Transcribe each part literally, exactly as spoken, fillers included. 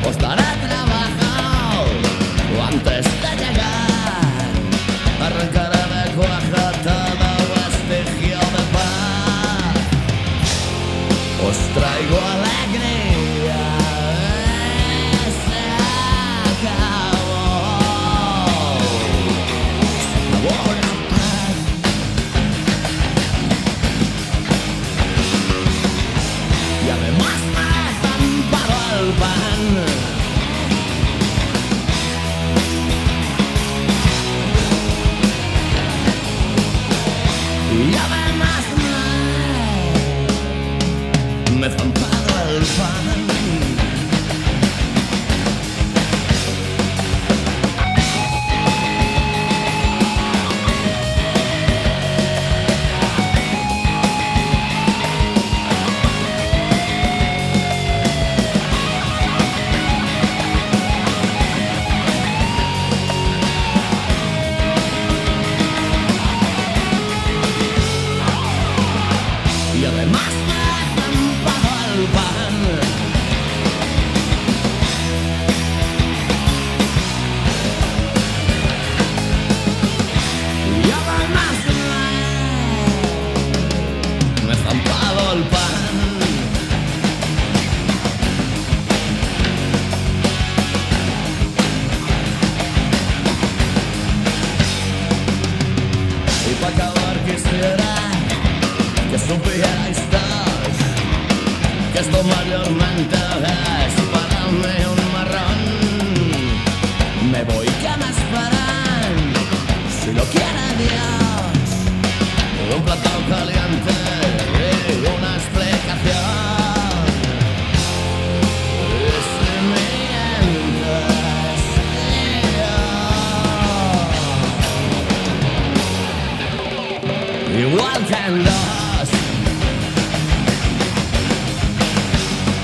estaré trabajado antes de llegar. Arrancaré de cuaja todo vestigio de paz. Os traigo alegría. Se acabó. Sabor a paz. Y además me zampado el pan. Y además me, me he zampado el pan. Y además me he zampado el pan. Y además me, me he zampado el pan. Y para acabar quisiera que supierais todos que esto mayormente es para mí un marrón. Me voy, que me esperan, si lo quiere Dios, un plato caliente y una explicación. Y si mientes, yo, igual que en los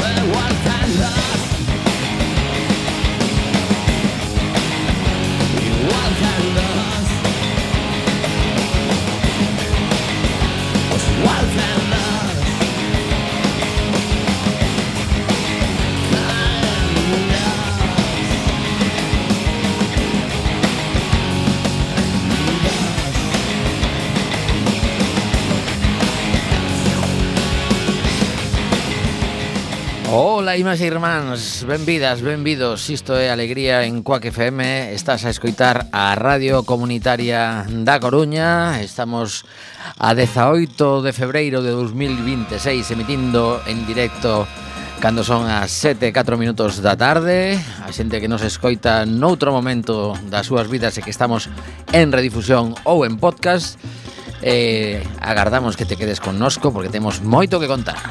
igual que en los igual que en los pues igual que en los Ola, irmás e irmáns, benvidas, benvidos. Isto é Alegría en Quack F M. Estás a escoitar a Radio Comunitaria da Coruña. Estamos a dezaoito de febreiro de dos mil veintiséis emitindo en directo cando son as sete e catro minutos da tarde. A xente que nos escoita noutro momento das súas vidas e que estamos en redifusión ou en podcast, eh, agardamos que te quedes connosco porque temos moito que contar.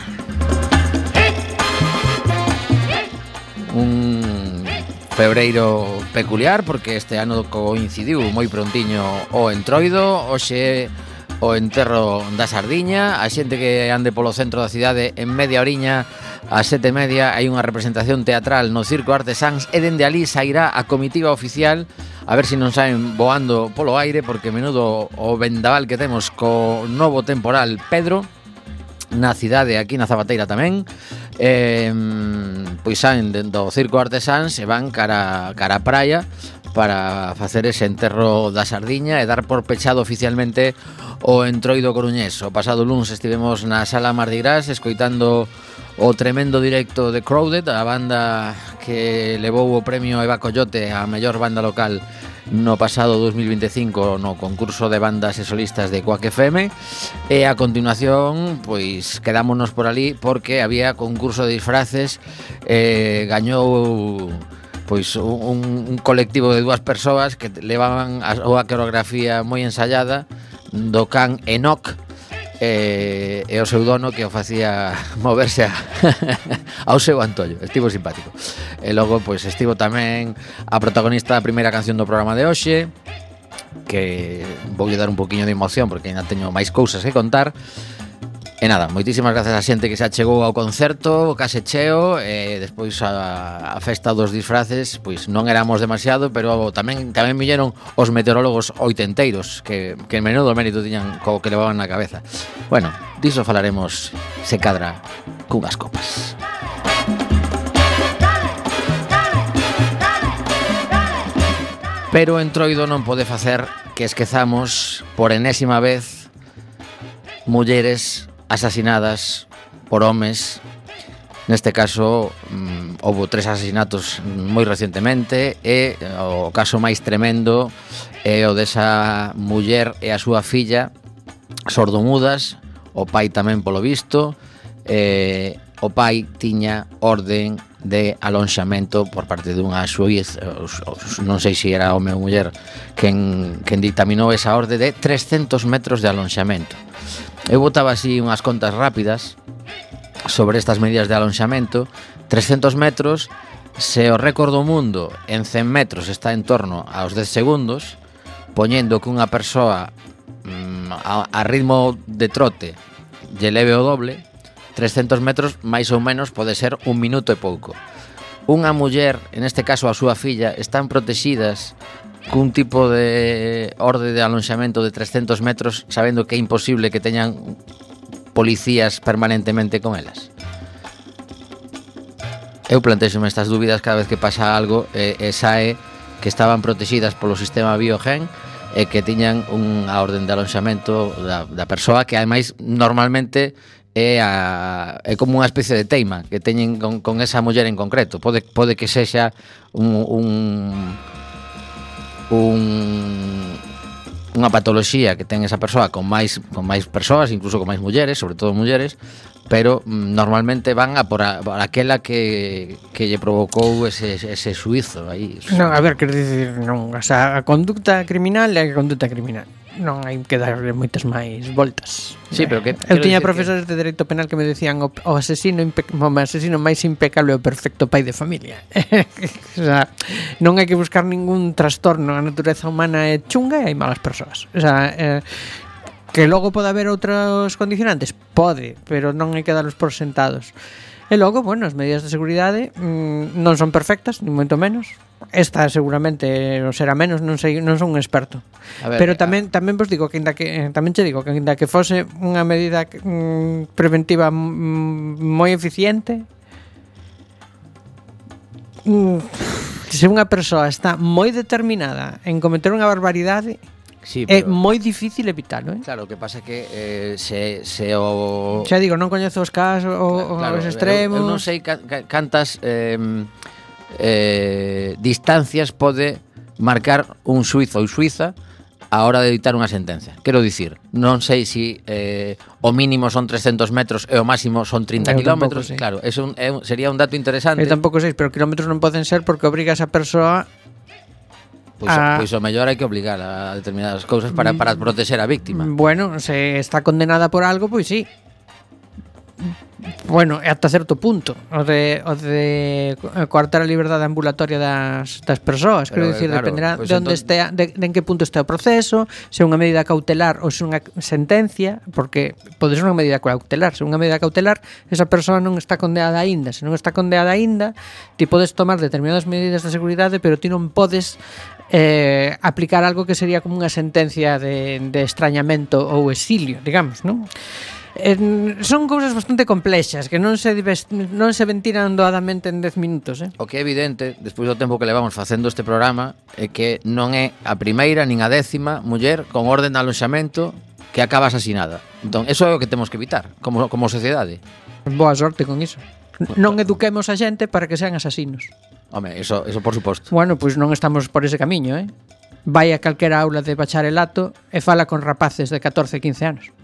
Un febreiro peculiar porque este ano coincidiu moi prontiño o entroido. Hoxe o enterro da sardiña. A xente que ande polo centro da cidade, en media oriña, a sete e media, hai unha representación teatral no Circo Artesáns e dende ali sairá a comitiva oficial, a ver se non saen voando polo aire, porque menudo o vendaval que temos co novo temporal Pedro na cidade, aquí na Zabateira tamén. Eh, pois saen do Circo Artesáns e van cara, cara a praia para facer ese enterro da sardiña e dar por pechado oficialmente o entroido coruñés. O pasado luns estivemos na Sala Mardi Gras escoitando o tremendo directo de Crowded, a banda que levou o premio Eva Coyote a mellor banda local no pasado dos mil veinticinco no concurso de bandas e solistas de Quack F M. E a continuación, pois quedámonos por ali porque había concurso de disfraces. eh, Gañou pois un, un colectivo de dúas persoas que levaban a, a coreografía moi ensayada do can Enoch, e, e o seu dono que o facía moverse a, ao seu antollo. Estivo simpático. E logo pois estivo tamén a protagonista da primeira canción do programa de hoxe, que voulle dar un poquinho de emoción porque ainda teño máis cousas que contar. E nada, moitísimas gracias a xente que se achegou ao concerto, case cheo, e despois a, a festa dos disfraces, pois non éramos demasiado, pero tamén tamén villeron os meteorólogos oitenteiros, que, que menudo mérito tiñan co que levaban na cabeza. Bueno, diso falaremos se cadra cunhas copas. Pero o Entroido non pode facer que esquezamos por enésima vez mulleres asasinadas por homes. Neste caso, mm, houve tres asasinatos moi recentemente e o caso máis tremendo é o desa muller e a súa filla sordomudas, o pai tamén polo visto. Eh, o pai tiña orden de alonxamento por parte dunha xuíz, non sei se era home ou muller, quen, quen dictaminou esa orde de trescentos metros de alonxamento. Eu botaba así unhas contas rápidas sobre estas medidas de alonxamento. Trescentos metros, se o récord do mundo en cen metros está en torno aos dez segundos, poñendo que unha persoa mm, a, a ritmo de trote lle leve o doble, trescentos metros máis ou menos pode ser un minuto e pouco. Unha muller, en este caso a súa filla, están protexidas cun tipo de orde de alonxamento de trescentos metros, sabendo que é imposible que teñan policías permanentemente con elas. Eu plantexome estas dúbidas cada vez que pasa algo e, e sae que estaban protexidas polo sistema Biogen e que tiñan unha orden de alonxamento da, da persoa que ademais normalmente é, a, é como unha especie de teima que teñen con, con esa muller en concreto. Pode, pode que sexa un, un, un unha patoloxía que ten esa persoa con máis con máis persoas, incluso con máis mulleres, sobre todo mulleres, pero mm, normalmente van a por, a, por aquela que, que lle provocou ese, ese suizo aí. Non, a ver, quero dicir, non, o sea, a conducta criminal é a conducta criminal. Non hai que darle moitas máis voltas. Sí, pero que eu tiña profesores que... de dereito penal que me decían o, o asesino impe... o asesino máis impecable é o perfecto pai de familia. O sea, non hai que buscar ningún trastorno, a natureza humana é chunga e hai malas persoas. O sea, eh, que logo pode haber outros condicionantes, pode, pero non hai que darlos por sentados. E logo, bueno, as medidas de seguridade mmm, non son perfectas, ni moito menos. Esta seguramente non será menos, non sei, non son un experto. Ver, pero tamén tamén vos digo que ainda que tamén che digo que ainda que fose unha medida mmm, preventiva mmm, moi eficiente, mmm, se unha persoa está moi determinada en cometer unha barbaridade, sí, é moi difícil evitalo, eh? Claro, o que pasa é que eh, se, se o... Xa digo, non coñezo os casos o, claro, os extremos. Eu, eu non sei ca, ca, cantas eh, eh, distancias pode marcar un suizo ou suiza a hora de dictar unha sentencia. Quero dicir, non sei se si, eh, o mínimo son trescentos metros e o máximo son trinta kilómetros. Claro, é un, é un, sería un dato interesante. Eu tampouco sei, pero kilómetros non poden ser porque obriga a esa persoa. Pois, a... pois o mellor hai que obligar a determinadas cousas para, para proteger a víctima. Bueno, se está condenada por algo, pois sí. Bueno, ata certo punto o de, o de coartar a liberdade ambulatoria das, das persoas. Quero dicir, claro, dependerá pues de onde entón... estea, de, de en que punto está o proceso, se é unha medida cautelar ou se é unha sentencia, porque pode ser unha medida cautelar. Se é unha medida cautelar, esa persoa non está condenada aínda. Se non está condenada aínda, ti podes tomar determinadas medidas de seguridade, pero ti non podes eh, aplicar algo que sería como unha sentencia de, de extrañamento ou exilio, digamos, non? Eh, son cousas bastante complexas que non se non se ventiran doadamente en dez minutos, eh? O que é evidente, despois do tempo que levamos facendo este programa, é que non é a primeira nin a décima muller con orden de alonxamento que acaba asasinada. Entón, eso é o que temos que evitar como, como sociedade. Boa sorte con iso. Non eduquemos a xente para que sean asasinos. Home, eso, eso por suposto. Bueno, pois pues non estamos por ese camiño, eh? Vai a calquera aula de bacharelato e fala con rapaces de catorce, quince anos.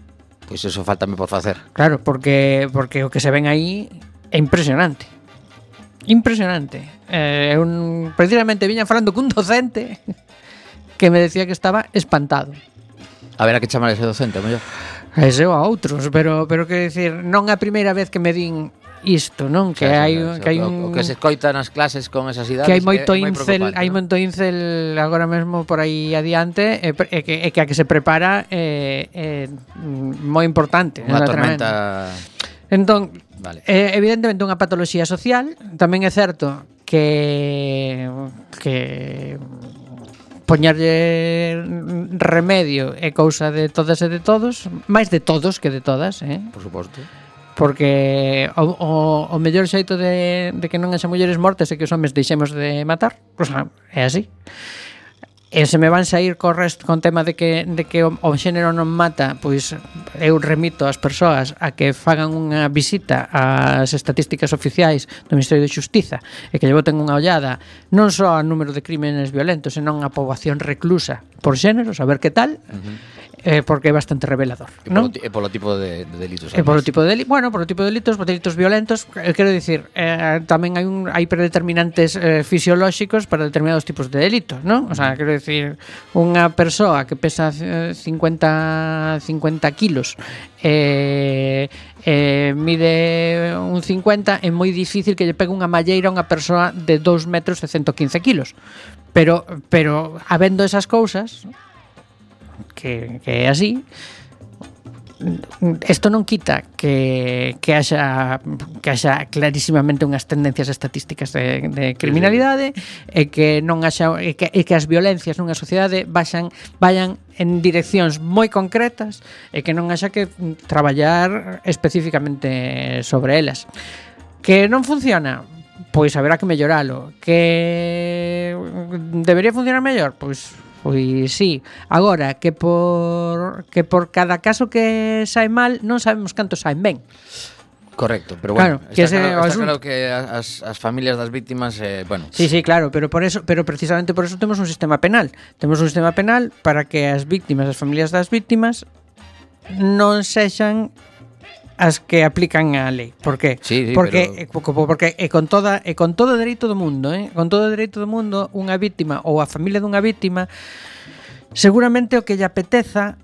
Pois eso faltame por facer. Claro, porque porque o que se ven aí é impresionante. Impresionante. Eh, un, precisamente viña falando cun docente que me decía que estaba espantado. A ver a que chamar ese docente, mellor. A ese ou a outros, pero pero que decir, non é a primeira vez que me din isto, non? Que xa, hai xa, xa, que hai un o que se escoita nas clases con esas idades, que hai moito é, incel, hai ¿no? moito incel agora mesmo por aí adiante e, e, que, e que a que se prepara é, é moi importante, unha tormenta. Entón, vale. É evidentemente unha patoloxía social, tamén é certo que que poñerlle remedio é cousa de todas e de todos, máis de todos que de todas, eh? Por suposto. Porque o, o, o mellor xeito de, de que non haxa mulleres mortes é que os homes deixemos de matar, o sea, é así. E se me van sair co resto con tema de que de que o, o xénero non mata, pois eu remito as persoas a que fagan unha visita ás estatísticas oficiais do Ministerio de Xustiza e que lle boten unha ollada non só ao número de crímenes violentos, senón a poboación reclusa por xénero, saber que tal. Uh-huh. Eh, porque é bastante revelador, e non? Polo, e polo tipo de, de delitos. E polo tipo de delitos, bueno, polo tipo de delitos, por delitos violentos, eh, quero dicir, eh, tamén hai un hai predeterminantes eh, fisiolóxicos para determinados tipos de delitos, non? O sea, quero dicir, unha persoa que pesa eh, cincuenta kilos eh, eh, mide un cincuenta, é moi difícil que lle pegue unha malleira a unha persoa de dous metros e ciento quince kilos. Pero, pero habendo esas cousas que, que é así, isto non quita que, que haxa que haxa clarísimamente unhas tendencias estatísticas de, de criminalidade e que non haxa e que, e que as violencias nunha sociedade vayan, vayan en direccións moi concretas e que non haxa que traballar especificamente sobre elas. Que non funciona? Pois haberá que melloralo. Que debería funcionar mellor? Pois Pois sí. Agora, que por que por cada caso que sae mal non sabemos cantos saen ben. Correcto, pero bueno, claro, está, que claro, está asunto. claro que as, as familias das víctimas, eh, bueno... Sí, sí, claro, pero por eso, pero precisamente por eso temos un sistema penal. Temos un sistema penal para que as víctimas, as familias das víctimas non sexan as que aplican a lei. Por qué? Sí, sí, porque pero... porque e con toda e con todo o dereito do mundo, eh, con todo o dereito do mundo, unha víctima ou a familia dunha víctima seguramente o que lle apeteza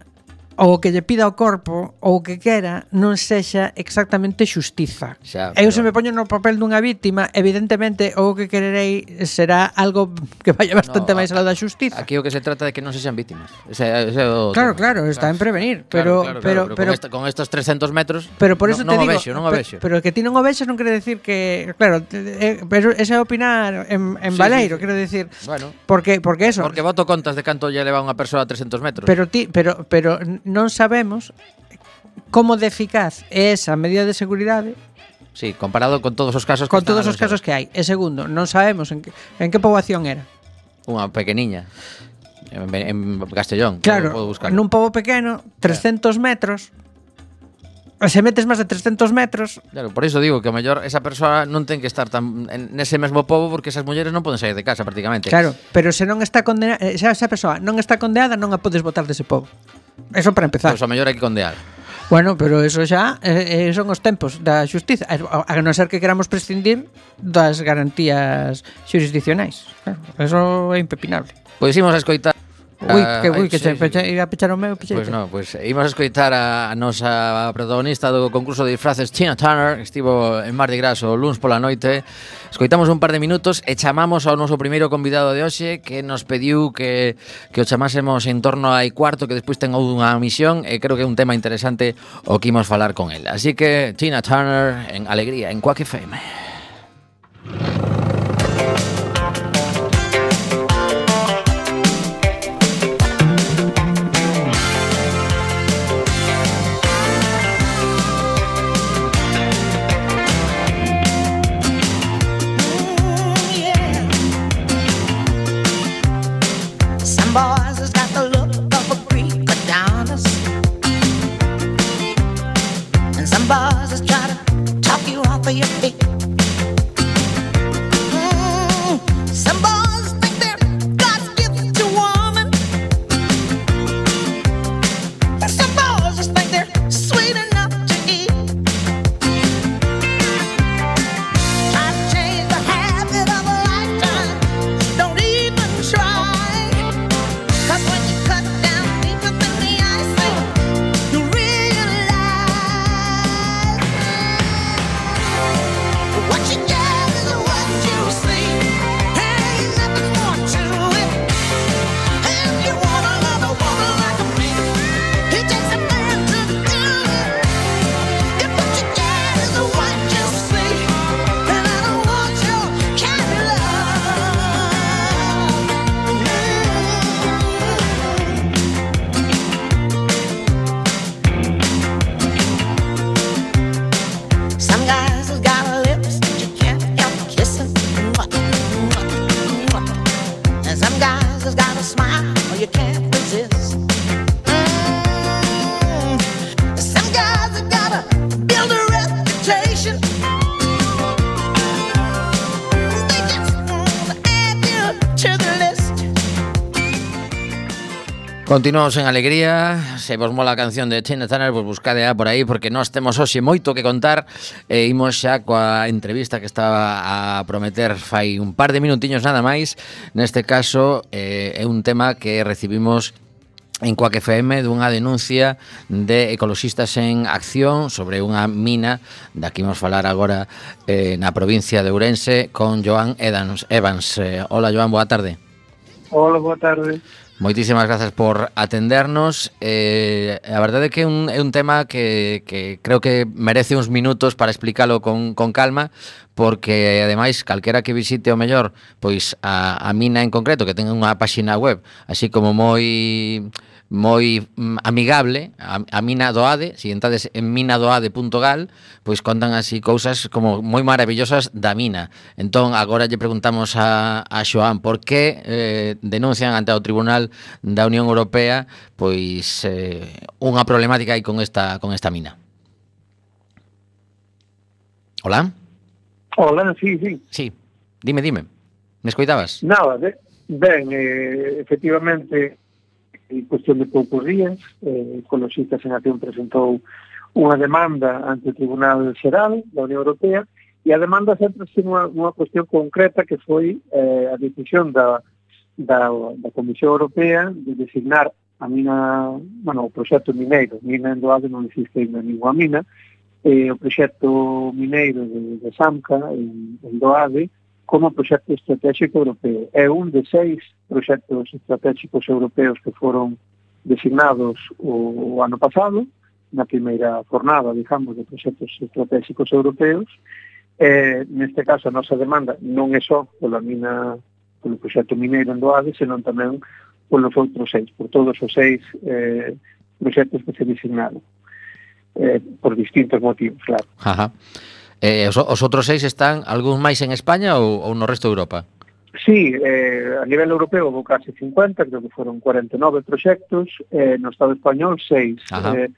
ou o que lle pida ao corpo ou o que quera non sexa exactamente xustiza. Xa, Eu pero... se me poño no papel dunha víctima, evidentemente o que quererei será algo que vaya bastante no, máis aló da xustiza. Aquí o que se trata de que non sexan vítimas. Ese, ese o claro, tema. claro, está en prevenir, pero claro, claro, pero claro, pero, con, esta, con estos trescentos metros pero por eso non, te non digo, o vexo, non o vexo. Pero, pero que ti non o vexes non quere decir que, claro, eh, pero ese é opinar en, en Sí, Baleiro, sí, sí. quero decir, bueno, porque porque eso, porque voto contas de canto lle leva unha persoa a trescentos metros. pero ti, pero pero non sabemos como de eficaz é esa medida de seguridade. Sí, comparado con todos os casos que Con están todos os casos que hai. E segundo, non sabemos en que, en que poboación era. Unha pequeniña en, en Castellón. Claro, podo buscar. nun pobo pequeno, trescentos metros. Se metes máis de trescentos metros. Claro, por iso digo que o mellor esa persoa non ten que estar tan en nese mesmo pobo porque esas mulleres non poden sair de casa prácticamente. Claro, pero se non está condenada, se esa persoa non está condenada, non a podes botar dese pobo. Eso para empezar. Pois o mellor hai que condear. Bueno, pero eso xa eh, son os tempos da xustiza, a, a non ser que queramos prescindir das garantías xurisdiccionais. Claro, eso é impepinable. Pois imos a escoitar. Ui, que, ui, Ai, que sí, che, sí. peche, iba a pechar o meu, peche. Pois non, pois imos a escoitar a, a nosa protagonista do concurso de disfraces, Tina Turner, que estivo en Mardi Gras o luns pola noite. Escoitamos un par de minutos e chamamos ao noso primeiro convidado de hoxe, que nos pediu que, que o chamásemos en torno a cuarto, que despois ten unha misión, e creo que é un tema interesante o que imos falar con el. Así que Tina Turner en Alegría, en Quack F M. Boys has got the look of a Greek Adonis, and some boys just try to talk you off of your feet. Mm, some boys think they're God's gift to woman, and some boys just think they're sweet enough to eat. Try to change the habit of a lifetime, don't even try. Cause when you cut down deeper than the ice, you realize what you get is what you see. Ain't nothing more to it. If you want another woman like me, it takes a man to do it. If what you get is what you see, then I don't want your kind of Some guys have got lips that you can't help kissing. And some guys have got a smile you can't resist. Mm, some guys have gotta build a reputation. They just wanna add you to the list. Continuamos en alegría. Se vos mola a canción de Tina Turner, pois buscadea por aí, porque nós temos hoxe moito que contar. E imos xa coa entrevista que estaba a prometer fai un par de minutiños nada máis. Neste caso eh, é un tema que recibimos en Quack F M dunha denuncia de Ecoloxistas en Acción sobre unha mina. Daqui imos falar agora eh, na provincia de Ourense con Joan Evans. Evans. Eh, hola Joan, boa tarde. Hola, boa tarde. Moitísimas grazas por atendernos. Eh, a verdade é que é un, é un tema que, que creo que merece uns minutos para explicalo con, con calma, porque ademais calquera que visite o mellor pois a, a mina en concreto, que ten unha páxina web así como moi moi mm, amigable, a, a mina do Ade, se entades en minadoade punto gal, pois contan así cousas como moi maravillosas da mina. Entón, agora lle preguntamos a, a Xoán por que eh, denuncian ante o Tribunal da Unión Europea pois eh, unha problemática aí con esta con esta mina. Hola? Hola, sí, sí. Sí, dime, dime. Me escoitabas? Nada, de, ben, eh, efectivamente, en cuestión de poucos días, eh, Ecoloxistas en Acción presentou unha demanda ante o Tribunal Xeral da Unión Europea, e a demanda sempre ten unha, unha cuestión concreta que foi eh, a decisión da, da, da Comisión Europea de designar a mina, bueno, o proxecto mineiro, mina en Doade non existe ainda ninguna mina, eh, o proxecto mineiro de, de Samca en, en Doade como proxecto estratégico europeo. É un de seis proxectos estratégicos europeos que foron designados o, o ano pasado, na primeira jornada, digamos, de proxectos estratégicos europeos. Eh, neste caso, a nosa demanda non é só pola mina, polo proxecto mineiro en Doade, senón tamén polos outros seis, por todos os seis eh, proxectos que se designaron. Eh, por distintos motivos, claro. Ajá. Eh, os, os outros seis están algún máis en España ou, ou no resto de Europa? Sí, eh, a nivel europeo houve case cincuenta, creo que foron cuarenta e nove proxectos, eh, no Estado español seis, eh,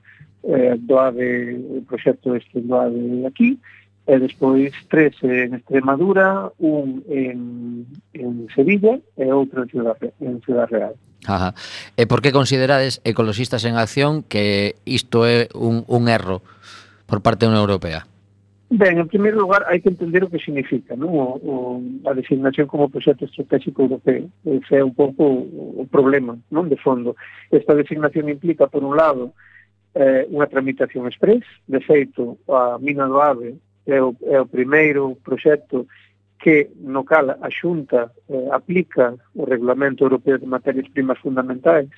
eh, Doade, o proxecto este Doade aquí, e despois tres en Extremadura, un en, en Sevilla e outro en Ciudad, en Ciudad Real. Ajá. E por que considerades Ecoloxistas en Acción que isto é un, un erro por parte da Unión Europea? Ben, en primeiro lugar, hai que entender o que significa, non? O, o, a designación como proxecto estratégico europeo. Ese é un pouco o, o problema, non? De fondo. Esta designación implica, por un lado, eh, unha tramitación express. De feito, a mina do Ave é o, é o primeiro proxecto que no cal a Xunta eh, aplica o Regulamento Europeo de Materias Primas Fundamentais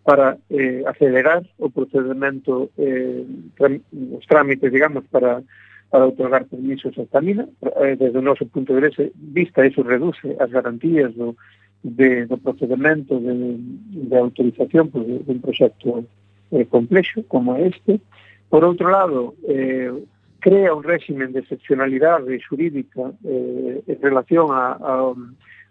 para eh, acelerar o procedimento, eh, tram, os trámites, digamos, para para otorgar permisos a esta mina. Eh, desde o noso punto de vista, eso reduce as garantías do, de, do procedimento de, de autorización pues, de, de un proxecto eh, complexo como este. Por outro lado, eh, crea un régimen de excepcionalidade xurídica eh, en relación a, a,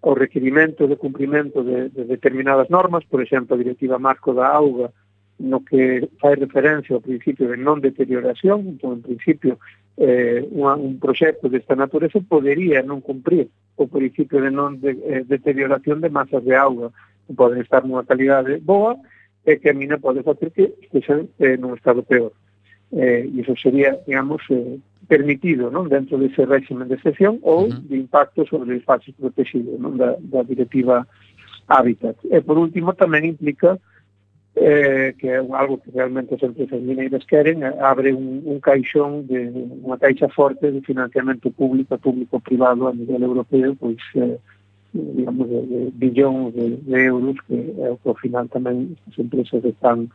ao requerimento de cumprimento de, de determinadas normas, por exemplo, a Directiva Marco da Auga, no que fai referencia ao principio de non deterioración. Entón, en principio, eh, unha, un proxecto desta natureza podería non cumprir o principio de non de, eh, deterioración de masas de auga, que poden estar nunha calidade boa e que a mina pode facer que estexan eh, nun estado peor. Eh, e iso sería, digamos, eh, permitido, non, dentro dese régimen de excepción ou uh-huh. de impacto sobre os espacios protegidos, non, da, da Directiva Hábitat. E, por último, tamén implica Eh, que é algo que realmente as empresas mineiras queren, abre un, un caixón de unha caixa forte de financiamento público, público-privado a nivel europeo, pois eh, digamos de, de billóns de, de euros, que é o que ao final tamén as empresas están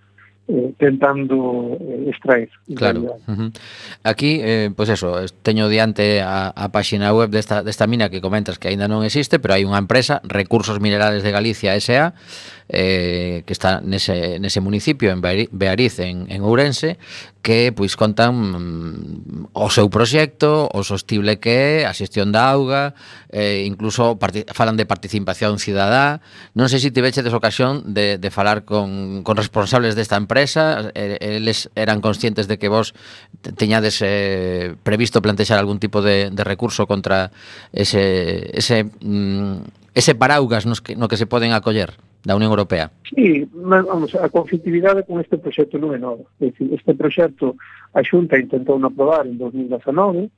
eh, tentando eh, extraer. Claro. Uh-huh. Aquí, eh, pois pues eso, teño diante a, a páxina web desta, desta mina que comentas que aínda non existe, pero hai unha empresa, Recursos Minerales de Galicia S A, eh, que está nese, nese municipio, en Beariz, en, en Ourense, que pois contan mm, o seu proxecto, o sostible que é, a xestión da auga, eh, incluso parti- falan de participación cidadá. Non sei se tivechedes ocasión de, de falar con, con responsables desta empresa, eh, eles eran conscientes de que vos te- teñades eh, previsto plantexar algún tipo de, de recurso contra ese, ese, mm, ese paraugas nos que, no que se poden acoller da Unión Europea. Sí, ma- vamos, a conflictividade con este proxecto non é nova. É dicir, este proxecto a Xunta intentou non aprobar en dos mil dezanove,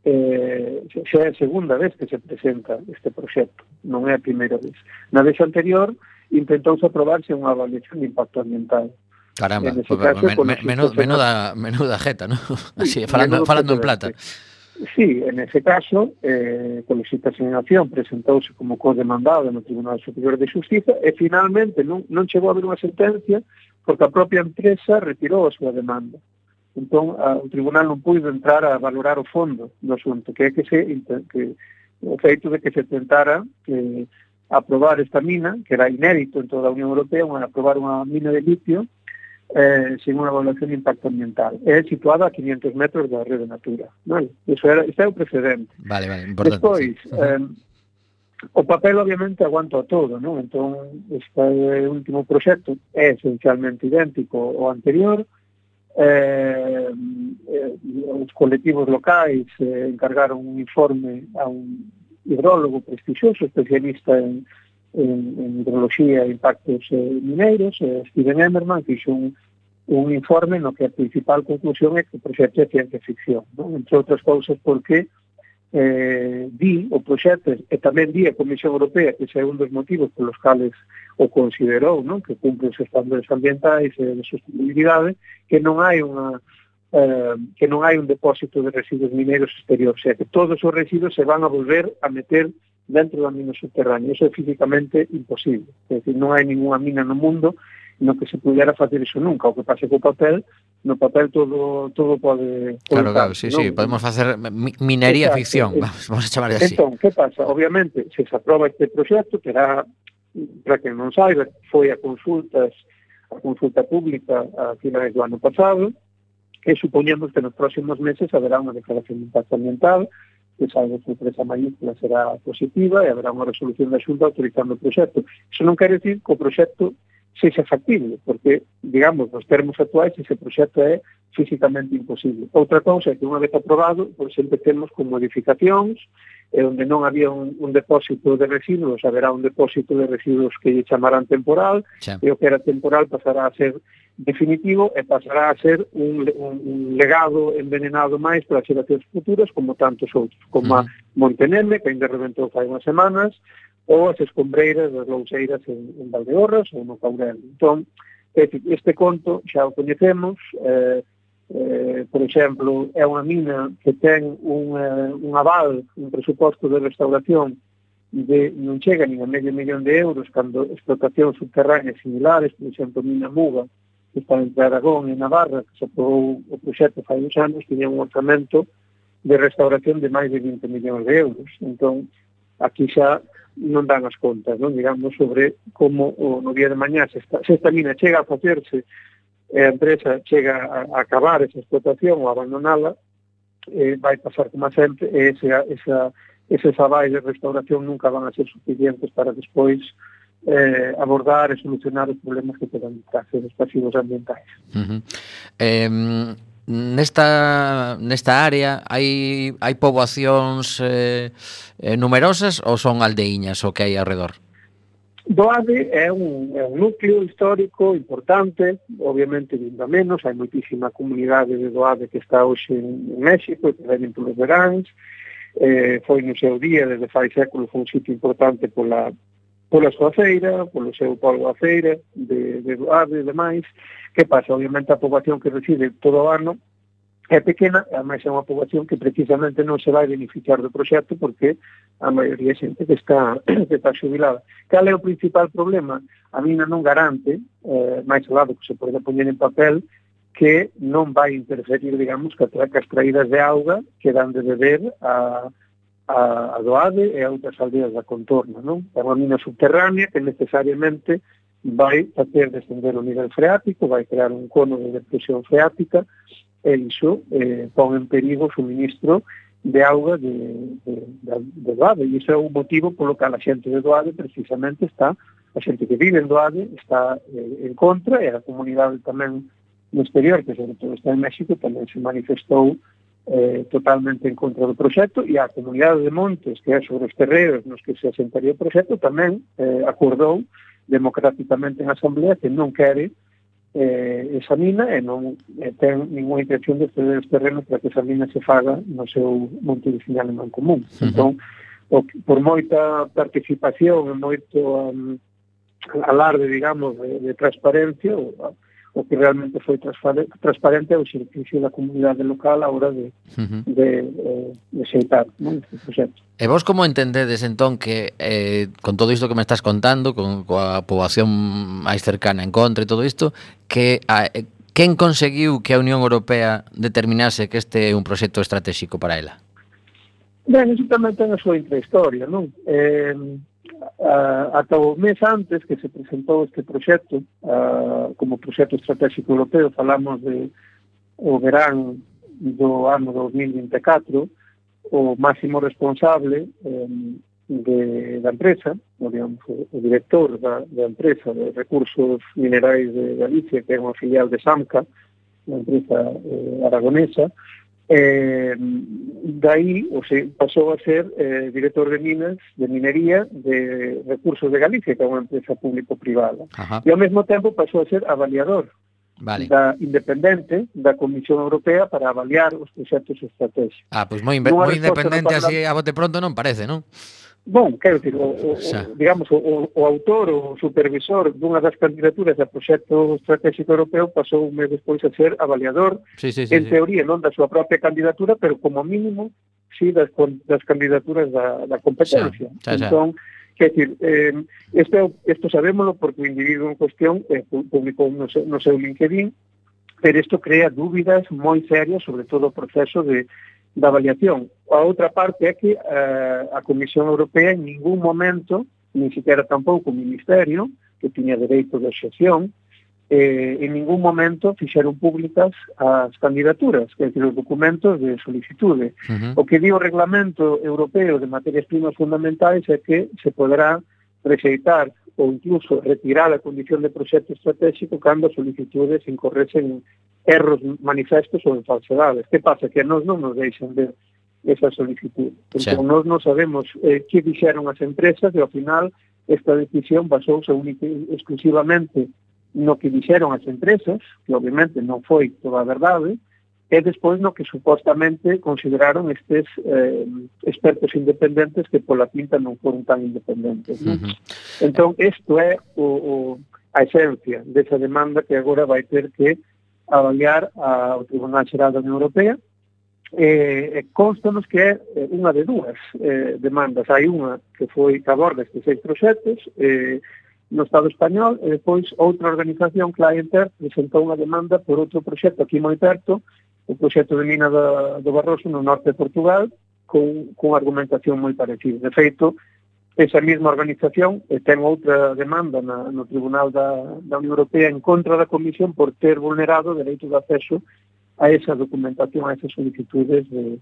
eh, xa é a segunda vez que se presenta este proxecto, non é a primeira vez. Na vez anterior intentouse aprobarse unha avaliación de impacto ambiental. Caramba, En ese pues, caso, men, con men, los menuda, institutos menuda, menuda jeta, ¿no? Así, falando, menudo falando en plata. precedente. Sí, en ese caso, eh, con licitación presentouse como co-demandado no Tribunal Superior de Xustiza e finalmente non, non chegou a haber unha sentencia porque a propia empresa retirou a súa demanda. Entón, a, o Tribunal non puido entrar a valorar o fondo do asunto, que é que se que, o feito de que se tentara eh, aprobar esta mina, que era inédito en toda a Unión Europea, unha, aprobar unha mina de litio eh, sin unha evaluación de impacto ambiental. É situada a quinientos metros da rede Natura. Vale? Eso era, este é o precedente. Vale, vale, importante. Despois, Sí. eh, o papel obviamente aguanta todo, non? Entón, este último proxecto é esencialmente idéntico ao anterior. Eh, eh, os colectivos locais eh, encargaron un informe a un hidrólogo prestixioso, especialista en en, en hidroloxía e impactos eh, mineiros, eh, Steven Emmerman, fixo un, un informe no que a principal conclusión é que o proxecto é ciencia ficción, non? Entre outras cousas porque eh, di o proxecto e tamén di a Comisión Europea que ese é un dos motivos polos cales o considerou, non? Que cumpre os estándares ambientais e de sostenibilidade, que non hai unha eh, que non hai un depósito de residuos mineiros exterior, o sea, que todos os residuos se van a volver a meter dentro da mina subterránea. Eso é físicamente imposible. É dicir, non hai ninguna mina no mundo no que se pudera facer iso nunca. O que pase co papel, no papel todo todo pode... Claro, claro, sí, ¿no? sí, podemos facer mi- minería Exacto. ficción, vamos, vamos a chamar así. Entón, que pasa? Obviamente, se se aproba este proxecto, terá, para que non saiba, foi a consultas, a consulta pública a finais do ano pasado, e supoñemos que nos próximos meses haberá unha declaración de impacto ambiental, que salvo que empresa mayúscula será positiva e haberá unha resolución da Xunta autorizando o proxecto. Iso non quere decir que o proxecto sexa factible, porque, digamos, nos termos actuais, ese proxecto é físicamente imposible. Outra cousa é que unha vez aprobado, pois sempre temos con modificacións, e onde non había un, un depósito de residuos, haberá un depósito de residuos que lle chamarán temporal, Xa. e o que era temporal pasará a ser definitivo e pasará a ser un, un, un legado envenenado máis para as xeracións futuras, como tantos outros, como a Monteneme, que ainda reventou fai unhas semanas, ou as escombreiras das louseiras en, en Valdeorras ou no Caurel. Entón, este conto xa o coñecemos, eh, eh, por exemplo, é unha mina que ten un, eh, un aval, un presuposto de restauración de non chega nin a medio millón de euros cando explotacións subterráneas similares, por exemplo, Mina Muga, que está entre Aragón e Navarra, que se aprobou o proxecto fai uns anos, tiña un orzamento de restauración de máis de vinte millóns de euros. Entón, aquí xa non dan as contas, non? Digamos, sobre como o, no día de mañá, se esta, se esta mina chega a facerse e a empresa chega a, a acabar esa explotación ou a abandonala, eh, vai pasar como sempre, e ese, esa, eses avais de restauración nunca van a ser suficientes para despois eh, abordar e solucionar os problemas que poden trazer os pasivos ambientais. Uh-huh. Eh, nesta nesta área hai hai poboacións eh, eh, numerosas ou son aldeiñas o que hai ao redor? Doade é un, é un núcleo histórico importante, obviamente vindo a menos, hai moitísima comunidade de Doade que está hoxe en, en México, que venen polos veráns, eh, foi no seu día, desde fai séculos, foi un sitio importante pola, pola súa feira, polo seu polvo a feira, de, de Doade e demais. Que pasa? Obviamente a poboación que reside todo o ano é pequena, ademais é unha poboación que precisamente non se vai beneficiar do proxecto porque a maioría é xente que está, que está xubilada. Cal é o principal problema? A mina non garante, eh, máis ao lado que se pode poñer en papel, que non vai interferir, digamos, que as traídas de auga que dan de beber a, a, a Doade e a outras aldeas da contorna, non? É unha mina subterránea que necesariamente vai facer descender o nivel freático, vai crear un cono de depresión freática, e iso eh, pon en perigo o suministro de auga de, de, de, de Doade, e iso é o motivo polo que a xente de Doade precisamente está, a xente que vive en Doade está eh, en contra, e a comunidade tamén no exterior, que sobre todo está en México, tamén se manifestou eh, totalmente en contra do proxecto, e a comunidade de Montes, que é sobre os terreos nos que se asentaría o proxecto, tamén eh, acordou democráticamente en Asamblea que non quere eh, esa mina e non eh, ten ninguna intención de ceder os terrenos para que esa mina se faga no seu monte vicinal en común. Uh-huh. Entón, o, por moita participación e moito um, alarde, digamos, de, de transparencia, o, o que realmente foi transparente é o exercicio da comunidade local a hora de, uh-huh. de, de, de xeitar, non, este proxecto. E vos como entendedes entón que eh, con todo isto que me estás contando, con coa poboación máis cercana en contra e todo isto, que a, quen conseguiu que a Unión Europea determinase que este é un proxecto estratégico para ela? Ben, iso tamén ten a súa intrahistoria, non? Eh, Uh, ata o mes antes que se presentou este proxecto uh, como proxecto estratégico europeo, falamos de o verán do ano dos mil vinte e catro, o máximo responsable um, de, da empresa, o, digamos, o, o director da, da empresa de recursos minerais de Galicia, que é unha filial de SAMCA, unha empresa eh, aragonesa, Eh, daí o sea, pasou a ser eh, director de minas, de minería de Recursos de Galicia, que é unha empresa público-privada. Ajá. E ao mesmo tempo pasou a ser avaliador vale. da independente da Comisión Europea para avaliar os proxectos estratégicos. Ah, pois moi, moi independente así a bote pronto non parece, non? Bom, quero dicir, o, o, o, digamos, o, o autor, o supervisor dunha das candidaturas do proxecto estratégico europeo pasou un mes despois a ser avaliador, sí, sí, sí, en teoría, sí. non da súa propia candidatura, pero como mínimo, sí, das, das candidaturas da, da competencia. Xa, xa, xa. Entón, quer dicir, eh, isto, isto sabémoslo porque o individuo en cuestión eh, publicou no seu, no seu LinkedIn, pero isto crea dúbidas moi serias sobre todo o proceso de da avaliación. A outra parte é que eh, a Comisión Europea en ningún momento, ni siquiera tampouco o Ministerio, que tiña dereito de excepción, eh, en ningún momento fixeron públicas as candidaturas, que é os documentos de solicitude. Uh-huh. O que di o Reglamento Europeo de Materias Primas Fundamentais é que se poderá rexeitar ou incluso retirar a condición de proxecto estratégico cando as solicitudes incorresen erros manifestos ou falsedades. Que pasa? Que nós non nos deixan ver esa solicitud. Entón, nós non sabemos eh, que dixeron as empresas e, ao final, esta decisión basouse única exclusivamente no que dixeron as empresas, que obviamente non foi toda a verdade, e despois no que supostamente consideraron estes eh, expertos independentes que pola pinta non foron tan independentes. ¿No? Uh-huh. Entón, isto é o, o, a esencia desa demanda que agora vai ter que avaliar ao Tribunal Xeral da Unión Europea. Eh, constanos que é unha de dúas eh, demandas. Hai unha que foi que aborda estes seis proxectos eh, no Estado español, e depois outra organización, Clienter, presentou unha demanda por outro proxecto aquí moi perto, o proxecto de mina do, do Barroso no norte de Portugal, con, con argumentación moi parecida. De feito, esa mesma organización eh, ten outra demanda na, no Tribunal da, da Unión Europea en contra da Comisión por ter vulnerado o dereito de acceso a esa documentación, a esas solicitudes de,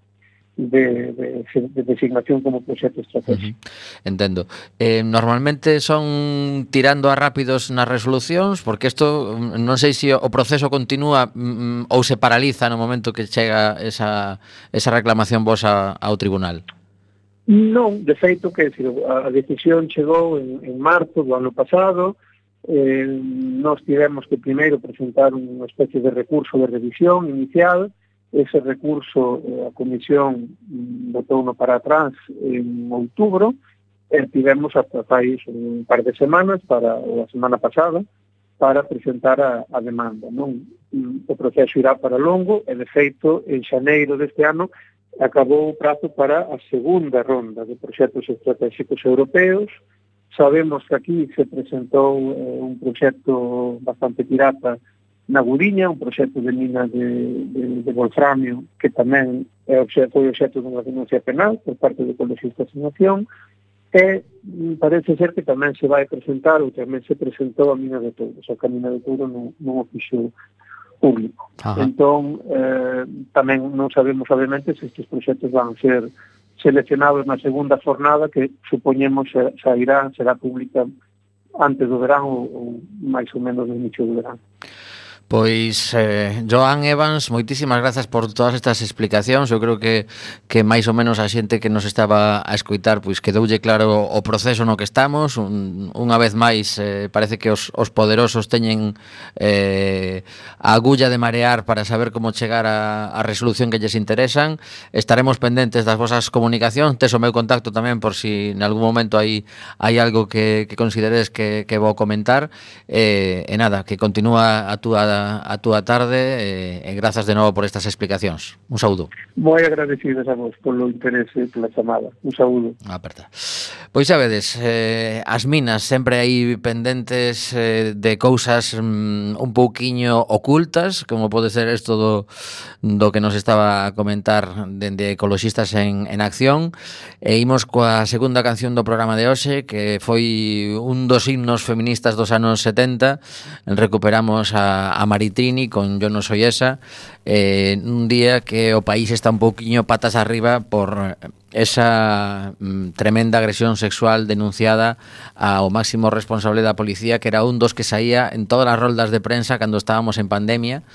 de, de, de designación como proxecto estratégico. Uh-huh. Entendo. Eh, normalmente son tirando a rápidos nas resolucións, porque isto non sei se o proceso continúa mm, ou se paraliza no momento que chega esa, esa reclamación vosa ao tribunal. Non, de feito, que decir, a decisión chegou en, en marzo do ano pasado. Eh, nós tivemos que primeiro presentar unha especie de recurso de revisión inicial. Ese recurso eh, a Comisión botou-no para atrás en outubro, e tivemos hasta fai un par de semanas, para a semana pasada, para presentar a, a demanda. Non? O proceso irá para longo, e de feito, en xaneiro deste ano, acabou o prazo para a segunda ronda de proxectos estratégicos europeos. Sabemos que aquí se presentou eh, un proxecto bastante pirata na Guriña, un proxecto de mina de, de, de wolframio, que tamén é obxecto, foi obxecto dunha denuncia penal por parte de Ecologistas en Acción. E mm, parece ser que tamén se vai presentar, ou tamén se presentou a Mina de Touro, o que a Mina de Touro non, non o fixo público. Ajá. Entón, eh, tamén non sabemos, obviamente, se estes proxectos van ser seleccionados na segunda jornada, que supoñemos xa, xa irá, será pública antes do verán ou, ou máis ou menos no inicio do verán. Pois, eh, Joan Evans, moitísimas grazas por todas estas explicacións. Eu creo que que máis ou menos a xente que nos estaba a escoitar pois quedoulle claro o proceso no que estamos. Un, unha vez máis, eh, parece que os, os poderosos teñen eh, a agulla de marear para saber como chegar a, a resolución que lles interesan. Estaremos pendentes das vosas comunicacións. Tes o meu contacto tamén por si en algún momento hai, hai algo que, que consideres que, que vou comentar. Eh, e nada, que continúa a túa a túa tarde e, e grazas de novo por estas explicacións. Un saúdo. Moi agradecidos a vos polo interese pola chamada. Un saúdo. Aperta. Pois xa vedes, eh, as minas sempre hai pendentes eh, de cousas mm, un pouquiño ocultas, como pode ser isto do, do que nos estaba a comentar dende Ecoloxistas en, en Acción. E imos coa segunda canción do programa de hoxe, que foi un dos himnos feministas dos anos setenta. Recuperamos a, a Maritrini con Yo no soy esa, eh, un día que o país está un pouquiño patas arriba por esa mm, tremenda agresión sexual denunciada ao máximo responsable da policía, que era un dos que saía en todas as roldas de prensa cando estábamos en pandemia.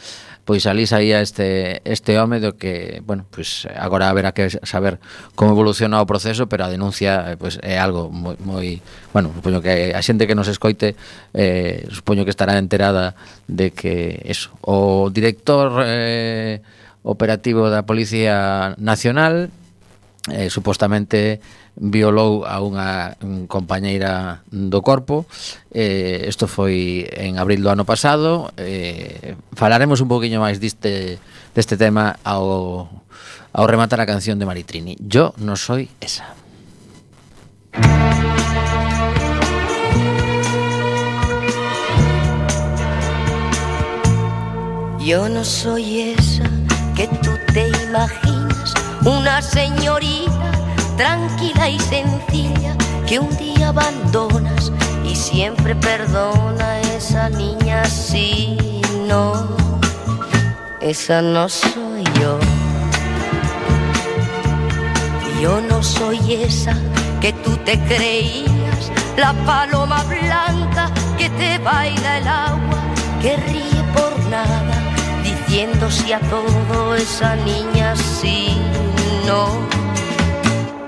Pois ali saía este este home do que, bueno, pois agora haberá que saber como evoluciona o proceso, pero a denuncia pois é algo moi, moi bueno, supoño que a xente que nos escoite eh, supoño que estará enterada de que eso, o director eh, operativo da Policía Nacional eh, supostamente violou a unha compañeira do corpo. Eh, isto foi en abril do ano pasado. Eh, falaremos un poquinho máis diste, deste tema ao, ao rematar a canción de Maritrini. Yo no soy esa. Yo no soy esa que tú te imaginas, una señorita tranquila y sencilla que un día abandonas y siempre perdona. Esa niña sí, no, esa no soy yo. Yo no soy esa que tú te creías, la paloma blanca que te baila el agua, que ríe por nada, diciendo sí a todo. Esa niña sí, no,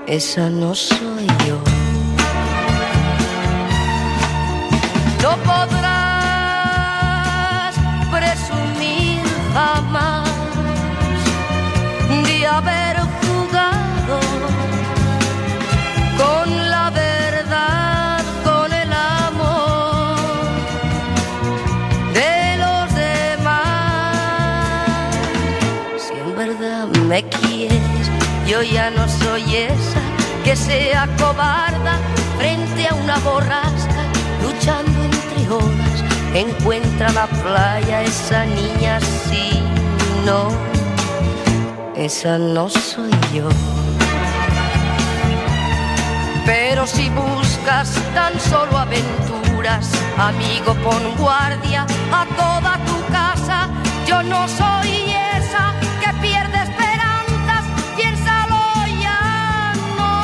esa no soy yo. No podrás presumir jamás de haber jugado con la verdad, con el amor de los demás. Si en verdad me quieres, yo ya no soy esa que sea cobarda frente a una borrasca, luchando entre olas, encuentra la playa. Esa niña sí, no, esa no soy yo. Pero si buscas tan solo aventuras, amigo, pon guardia a toda tu casa. Yo no soy esa que pierde esperanzas, piénsalo ya, no.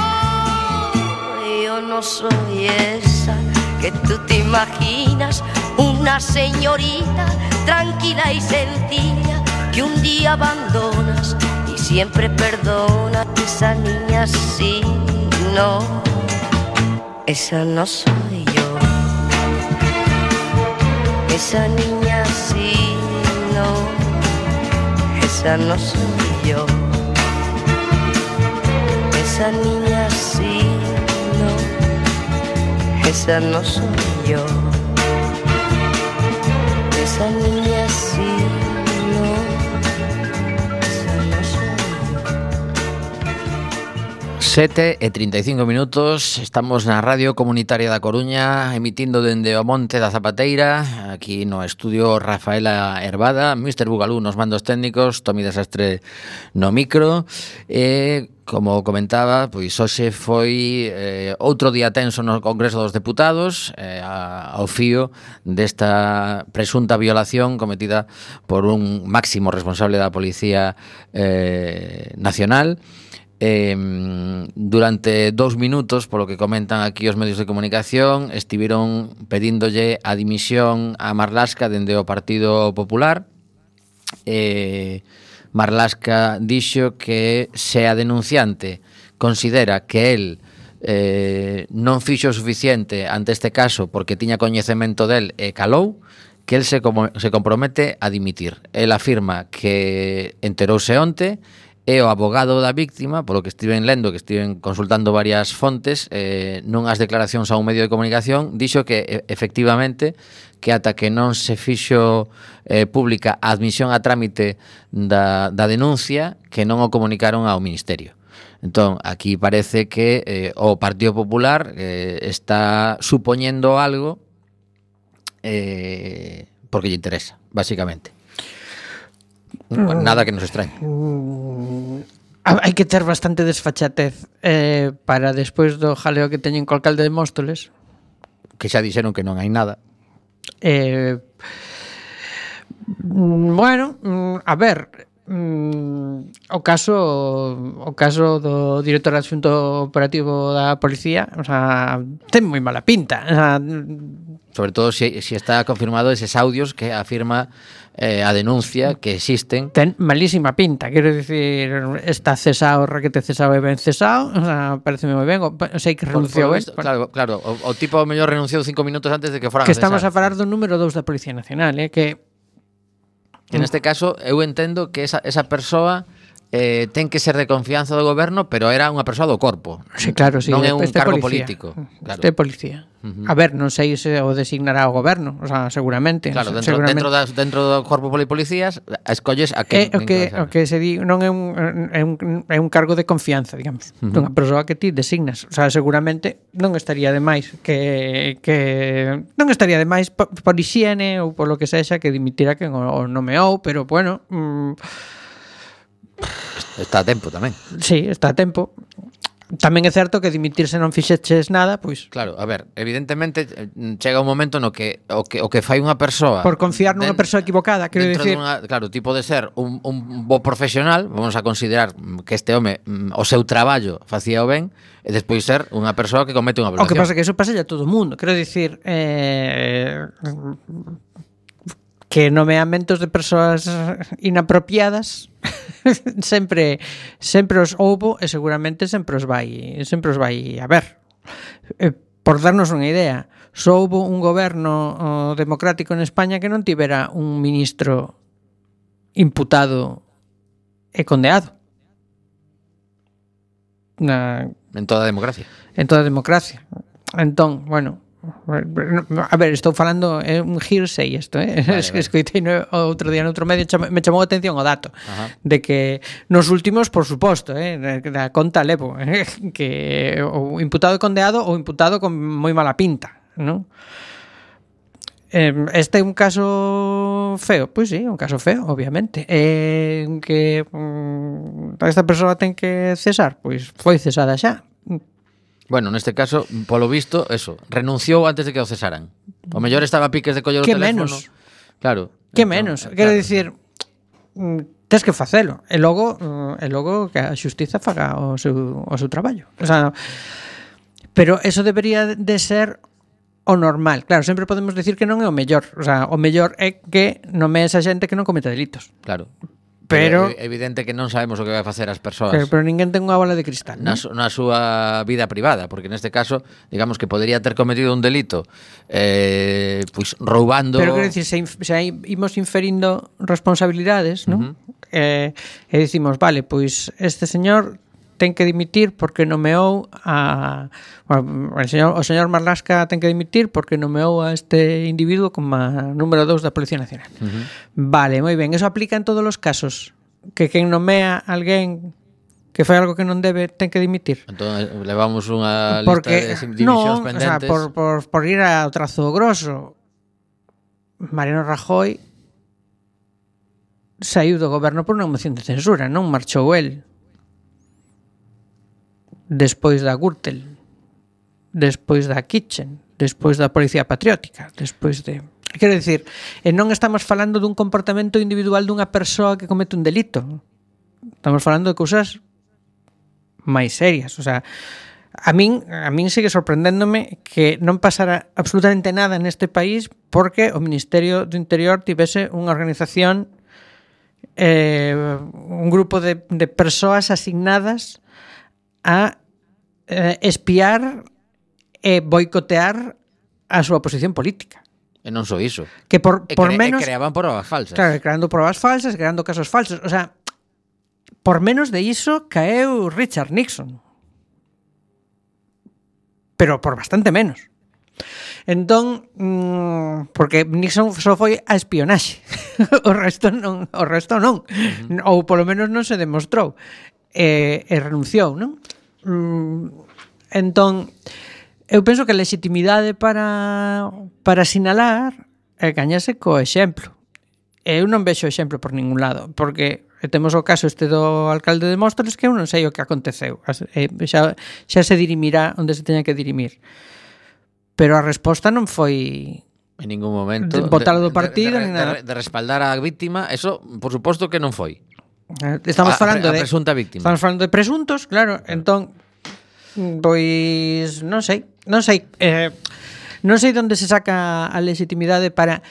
Yo no soy esa que tú te imaginas, una señorita tranquila y sencilla que un día abandonas y siempre perdona. Esa niña sí, no, esa no soy yo. Esa niña sí, no, esa no soy yo. Esa niña sí, no, esa no soy yo. Esa niña sí, no, esa no soy yo. sete e trinta e cinco minutos. Estamos na Radio Comunitaria da Coruña, emitindo dende o Monte da Zapateira. Aquí no estudio Rafaela Hervada, mister Bugalú nos mandos técnicos, Tomi Desastre no micro. E, como comentaba, pois hoxe foi eh, outro día tenso no Congreso dos Deputados, eh, ao fío desta presunta violación cometida por un máximo responsable da Policía eh, Nacional. Eh, durante dous minutos, polo que comentan aquí os medios de comunicación, estiveron pedíndolle a dimisión a Marlaska dende o Partido Popular. eh, Marlaska dixo que se a denunciante considera que el eh, non fixo o suficiente ante este caso porque tiña coñecemento del e calou, que el se, como, se compromete a dimitir. El afirma que enterouse onte e o abogado da víctima, polo que estiven lendo, que estiven consultando varias fontes, eh, nunhas declaracións a un medio de comunicación, dixo que e, efectivamente que ata que non se fixo eh, pública a admisión a trámite da, da denuncia, que non o comunicaron ao Ministerio. Entón, aquí parece que eh, o Partido Popular eh, está supoñendo algo eh, porque lle interesa, basicamente. Nada que nos extrañe. Hai que ter bastante desfachatez eh, para despois do jaleo que teñen co alcalde de Móstoles. Que xa dixeron que non hai nada. Eh, bueno, a ver, o caso o caso do director adxunto operativo da policía, o sea, ten moi mala pinta. O sea, sobre todo se si, si está confirmado eses audios que afirma eh, a denuncia que existen. Ten malísima pinta, quero dicir, está cesado, requete cesado e ben cesado, o sea, pareceme moi ben, o, sei que renunciou, por, por visto, claro, claro, o, o tipo ao mellor renunciou cinco minutos antes de que foran que a cesar. Estamos a falar do número dous da Policía Nacional, eh, que que neste caso eu entendo que esa, esa persoa eh, ten que ser de confianza do goberno, pero era unha persoa do corpo. Sí, claro, sí, non é un este cargo policía. político. Claro. Este policía. Uh-huh. A ver, non sei se o designará o goberno, o sea, seguramente. Claro, dentro, seguramente. dentro, das, dentro do corpo de policías escolles a que, eh, o que o que se di non é un, é un é un cargo de confianza, digamos, uh-huh. dunha persoa que ti designas, o sea, seguramente non estaría de máis que que non estaría de máis por, por hixiene ou polo que sexa que dimitira quen o, o nomeou, pero bueno, mm, está a tempo tamén. Sí, está a tempo. Tamén é certo que dimitirse non fixeches nada, pois. Claro, a ver, evidentemente chega un momento no que o que o que fai unha persoa por confiar nunha persoa equivocada, quero dicir. Dunha, claro, tipo de ser un, un bo profesional, vamos a considerar que este home o seu traballo facía o ben, e despois ser unha persoa que comete unha violación. O que pasa é que eso pasa a todo o mundo. Quero dicir, eh que nomeamentos de persoas inapropiadas sempre sempre os houbo e seguramente sempre os vai sempre os vai a ver. Eh, por darnos unha idea, só houbo un goberno oh, democrático en España que non tivera un ministro imputado e condeado. Na, en toda a democracia. En toda a democracia. Entón, bueno, a ver, estou falando é un hearsay isto, eh? Vale, vale. Escoitei no, outro día noutro medio, me chamou a atención o dato. Ajá. De que nos últimos, por suposto, eh, da conta levo, eh, que o imputado condeado ou imputado con moi mala pinta, non? Este é un caso feo, pois sí, un caso feo, obviamente. Eh, que um, esta persoa ten que cesar, pois foi cesada xa. Bueno, neste caso, polo visto, eso, renunciou antes de que o cesaran. O mellor estaba a piques de coller o que teléfono. Menos. Claro. Que menos. Quero claro. dicir, tes que facelo. E logo, e logo que a xustiza faga o seu, o seu traballo. O sea, pero eso debería de ser o normal. Claro, sempre podemos decir que non é o mellor. O sea, o mellor é que nomees a xente que non cometa delitos. Claro. Pero é evidente que non sabemos o que vai facer as persoas. Pero, pero ninguén ten unha bola de cristal, na, su, na súa vida privada, porque neste caso, digamos que podría ter cometido un delito eh, pois roubando. Pero quero dicir, se, inf, se imos inferindo responsabilidades, non? Uh-huh. Eh, e dicimos, vale, pois este señor ten que dimitir porque nomeou a bueno, o señor, o señor Marlaska ten que dimitir porque nomeou a este individuo como número dous da Policía Nacional. Uh-huh. Vale, moi ben, eso aplica en todos os casos, que quen nomea a alguén que fai algo que non debe, ten que dimitir. Entón, levamos unha Porque, lista de dimisións non, o pendentes. sea, por, por, por ir ao trazo grosso, Mariano Rajoy saiu do goberno por unha moción de censura, non marchou el. Despois da Gürtel, despois da Kitchen, despois da Policía Patriótica, despois de... Quero dicir, e non estamos falando dun comportamento individual dunha persoa que comete un delito. Estamos falando de cousas máis serias, o sea, a min a min sigue sorprendéndome que non pasara absolutamente nada neste país porque o Ministerio do Interior tivese unha organización, eh, un grupo de, de persoas asignadas a eh, espiar e boicotear a súa posición política. E non só iso. Que por, E, por cre menos... e creaban probas falsas. Claro, creando probas falsas, creando casos falsos. O sea, por menos de iso caeu Richard Nixon. Pero por bastante menos. Entón, mmm, porque Nixon só foi a espionaxe. o resto non, o resto non. Uh-huh. Ou polo menos non se demostrou. E, e renunciou, non? Mm, entón, eu penso que a legitimidade para para sinalar é gañase co exemplo. Eu non vexo exemplo por ningún lado, porque temos o caso este do alcalde de Móstoles que eu non sei o que aconteceu. Xa, xa se dirimirá onde se teña que dirimir. Pero a resposta non foi en ningún momento botalo do partido de, de, ni nada. de, de respaldar a víctima, eso por suposto que non foi. Estamos a, falando a, a de presunta víctima. Estamos falando de presuntos, claro, entón pois non sei, non sei, eh, non sei onde se saca a legitimidade para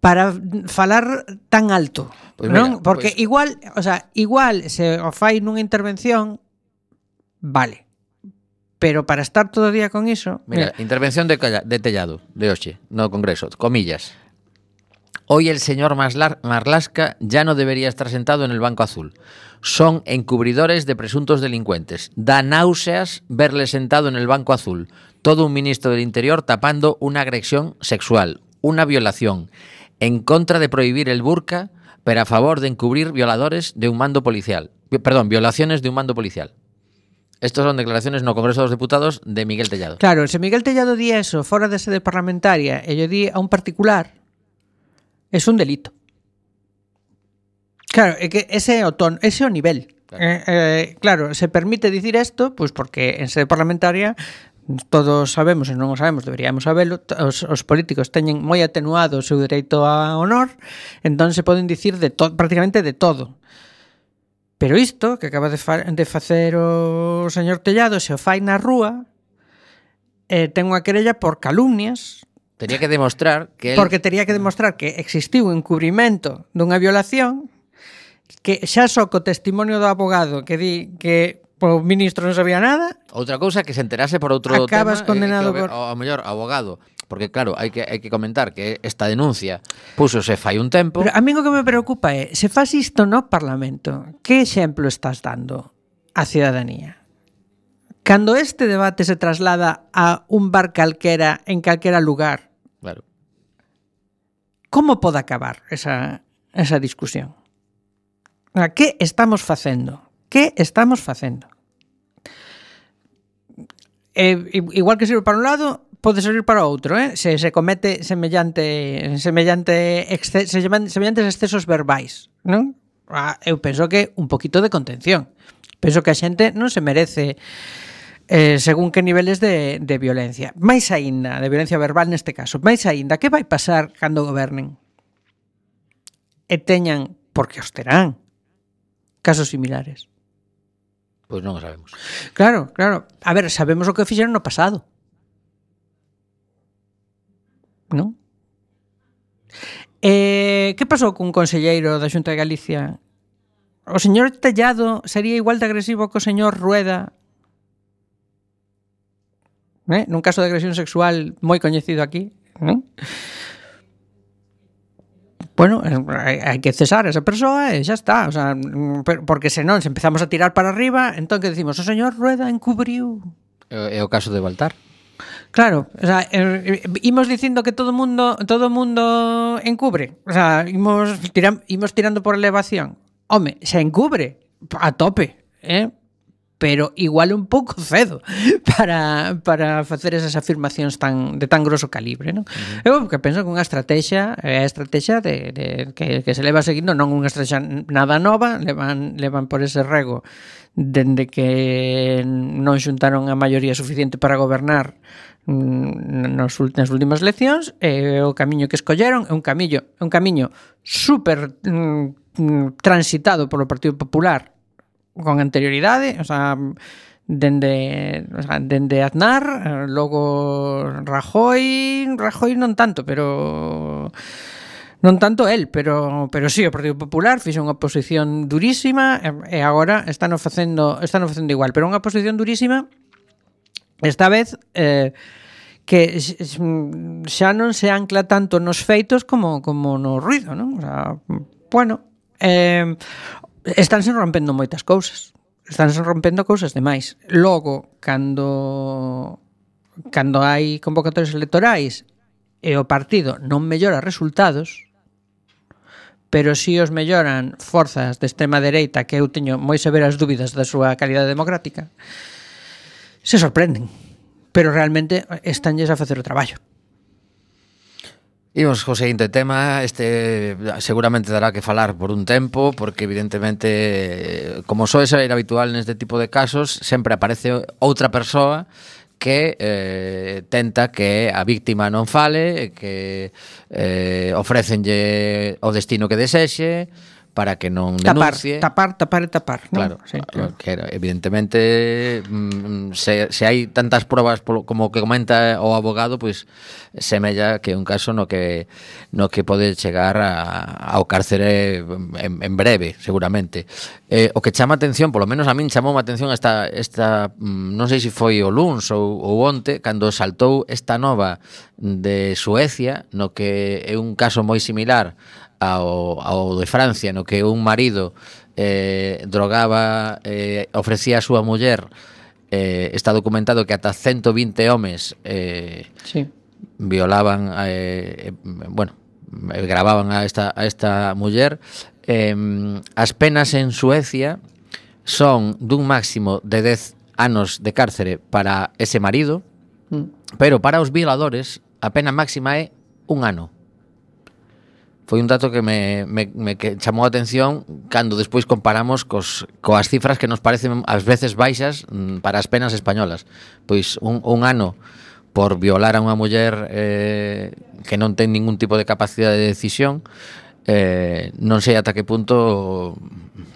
para falar tan alto, pues non? mira, Porque pues... igual, o sea, igual se o fai nunha intervención, vale. Pero para estar todo o día con iso... Mira, mira. Intervención de, Calla, de Tellado, de hoxe, no Congreso, comillas. Hoy el señor Marlaska ya no debería estar sentado en el banco azul. Son encubridores de presuntos delincuentes. Da náuseas verle sentado en el banco azul. Todo un ministro del Interior tapando una agresión sexual, una violación, en contra de prohibir el burka, pero a favor de encubrir violadores de un mando policial. Perdón, violaciones de un mando policial. Estas son declaraciones no Congreso dos Deputados de Miguel Tellado. Claro, se Miguel Tellado di eso fora de sede parlamentaria e lle di a un particular, es un delito. Claro, é que ese é o ton, ese é o nivel. Claro, eh, eh, claro se permite dicir isto, pois pues porque en sede parlamentaria todos sabemos, e non o sabemos, deberíamos saberlo, os, os políticos teñen moi atenuado o seu dereito a honor, entón se poden dicir de to, prácticamente de todo. Pero isto que acaba de, fa de facer o señor Tellado, se o fai na rúa, eh, ten unha querella por calumnias. Tería que demostrar que... Porque él... tería que demostrar que existiu un encubrimento dunha violación, que xa só co testimonio do abogado que di que o ministro non sabía nada. Outra cousa que se enterase por outro acabas tema, condenado eh, que, por... ao mellor abogado, porque claro, hai que hai que comentar que esta denuncia púxose fai un tempo. Pero a mí o que me preocupa é, se faz isto no Parlamento, que exemplo estás dando á cidadanía? Cando este debate se traslada a un bar calquera en calquera lugar, claro, como pode acabar esa, esa discusión? Que estamos facendo? Que estamos facendo? Eh, igual que sirve para un lado, pode servir para outro, eh? Se se comete semellante semellante exce, semellantes excesos verbais, non? Ah, eu penso que un poquito de contención. Penso que a xente non se merece eh, según que niveles de, de violencia. Mais aínda, de violencia verbal neste caso. Mais aínda, que vai pasar cando gobernen? E teñan, porque os terán, casos similares. Pois non o sabemos. Claro, claro. A ver, sabemos o que fixeron no pasado. Non? Eh, que pasou cun conselleiro da Xunta de Galicia? O señor Tellado sería igual de agresivo que o señor Rueda? Eh? Nun caso de agresión sexual moi coñecido aquí, non? Bueno, hai que cesar a esa persoa e xa está, o sea, porque senón se empezamos a tirar para arriba, entón que decimos, o señor Rueda encubriu. É o caso de Baltar. Claro, o sea, eh, imos dicindo que todo mundo todo mundo encubre, o sea, imos tiram, imos tirando por elevación. Home, se encubre a tope. eh? Pero igual un pouco cedo para, para facer esas afirmacións tan, de tan grosso calibre, non? Uh-huh. Eu que penso que unha estrategia é a estrategia de, de, que, que se leva seguindo, non unha estrategia nada nova, levan, levan por ese rego dende que non xuntaron a maioría suficiente para gobernar nos, nas últimas eleccións, e o camiño que escolleron é un camiño, un camiño super mm, transitado polo Partido Popular con anterioridade, o sea, dende, o sea, dende Aznar, logo Rajoy, Rajoy non tanto, pero non tanto el, pero pero sí, o Partido Popular fixo unha oposición durísima e agora están facendo, están facendo igual, pero unha oposición durísima esta vez eh, que xa non se ancla tanto nos feitos como como no ruido, non? O sea, bueno, eh estánse rompendo moitas cousas. Estánse rompendo cousas demais. Logo, cando cando hai convocatorias electorais e o partido non mellora resultados, pero si os melloran forzas de extrema dereita, que eu teño moi severas dúbidas da súa calidade democrática, se sorprenden. Pero realmente estánlles a facer o traballo. Imos co seguinte tema, este seguramente dará que falar por un tempo, porque evidentemente, como soe ser habitual neste tipo de casos, sempre aparece outra persoa que eh, tenta que a víctima non fale, que eh, ofrécenlle o destino que desexe, para que non denuncie. Tapar, tapar, tapar e tapar, ¿no? Claro, sí, claro. Que evidentemente mm, se, se hai tantas probas polo, como que comenta o abogado, pois pues, semella que é un caso no que no que pode chegar a, ao cárcere en, en breve, seguramente. Eh, o que chama atención, polo menos a min chamou a atención esta, esta non sei se foi o luns ou, ou onte, cando saltou esta nova de Suecia, no que é un caso moi similar ao, ao de Francia, no que un marido eh, drogaba, eh, ofrecía a súa muller, eh, está documentado que ata ciento vinte homes eh, sí. violaban, eh, bueno, gravaban a esta, a esta muller. Eh, as penas en Suecia son dun máximo de dez anos de cárcere para ese marido, mm. pero para os violadores a pena máxima é un ano. Foi un dato que me, me, me que chamou a atención cando despois comparamos cos, coas cifras que nos parecen ás veces baixas para as penas españolas. Pois un, un ano por violar a unha muller eh, que non ten ningún tipo de capacidade de decisión, eh, non sei ata que punto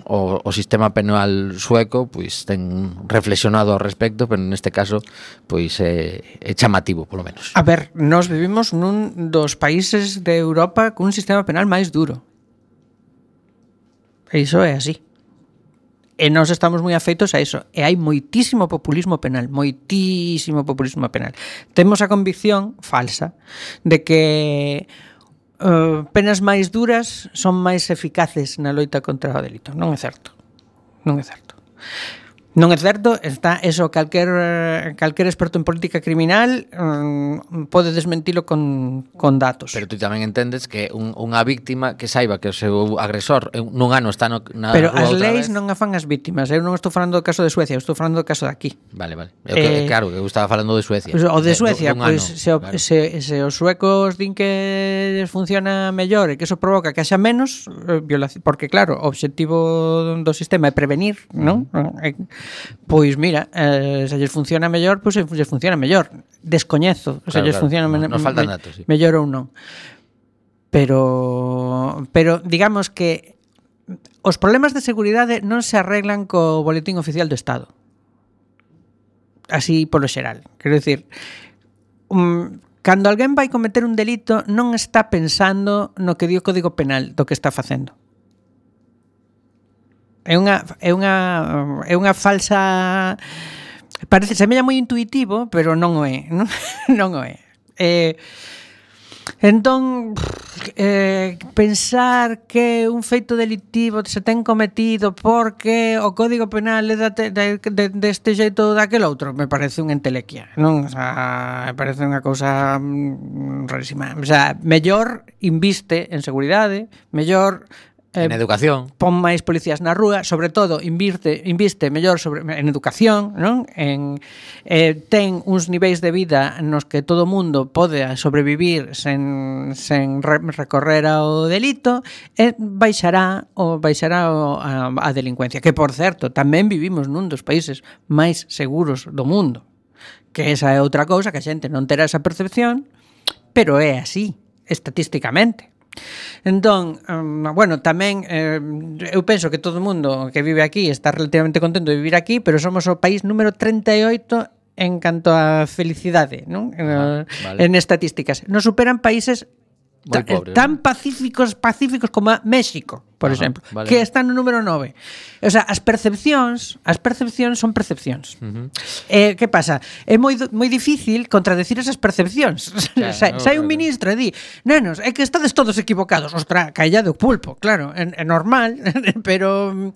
o, o sistema penal sueco pois ten reflexionado ao respecto, pero neste caso pois é, é chamativo, polo menos. A ver, nós vivimos nun dos países de Europa cun sistema penal máis duro. E iso é así. E nós estamos moi afeitos a iso. E hai moitísimo populismo penal, moitísimo populismo penal. Temos a convicción falsa de que Uh, penas máis duras son máis eficaces na loita contra o delito. Non é certo. Non é certo. Non é certo, está eso, calquer calquer experto en política criminal um, pode desmentilo con, con datos. Pero tú tamén entendes que un, unha víctima que saiba que o seu agresor nun ano está no, na Pero rúa as outra leis vez. Non afan as víctimas. Eu non estou falando do caso de Suecia, eu estou falando do caso de aquí. Vale, vale. Eu, eh, que, claro, que eu estaba falando de Suecia. O de Suecia, pois pues, se, claro. se, se os suecos din que funciona mellor e que eso provoca que haxa menos eh, violación, porque claro, o obxectivo do sistema é prevenir, non? Uh-huh. Pois mira, eh, se lles funciona mellor, pois se lles funciona mellor. Descoñezo, claro, se lles claro. funciona no, nos faltan datos, sí. mellor ou non. Pero pero digamos que os problemas de seguridade non se arreglan co boletín oficial do Estado. Así polo xeral. Quero dicir, um, cando alguén vai cometer un delito non está pensando no que di o Código Penal do que está facendo. É unha é unha é unha falsa, parece semella moi intuitivo, pero non o é, non, non o é. Eh, entón eh, pensar que un feito delictivo se ten cometido porque o Código Penal é deste de, de, de xeito daquel outro, me parece unha entelequia, non? O sea, me parece unha cousa mm, rarísima. O sea, mellor inviste en seguridade, mellor eh, En educación. pon máis policías na rúa, sobre todo inviste inviste mellor sobre en educación, non? En eh, ten uns niveis de vida nos que todo mundo pode sobrevivir sen sen re, recorrer ao delito e baixará o baixará o, a, a delincuencia, que por certo, tamén vivimos nun dos países máis seguros do mundo. Que esa é outra cousa que a xente non terá esa percepción, pero é así, estatísticamente. Entón, um, bueno, tamén eh, eu penso que todo o mundo que vive aquí está relativamente contento de vivir aquí, pero somos o país número treinta e oito en canto a felicidade, non? Ah, eh, vale. En estadísticas. Nos superan países Moi ta- pobres, tan pacíficos pacíficos como a México, por Ajá, exemplo, vale. que está no número nove. O sea, as percepcións, as percepcións son percepcións. Uh-huh. Eh, que pasa? É moi do- moi difícil contradecir esas percepcións. Claro, Sai, no, sai un claro. ministro e di: "Nenos, é que estades todos equivocados." Ostra, caella do pulpo, claro, é, é normal, pero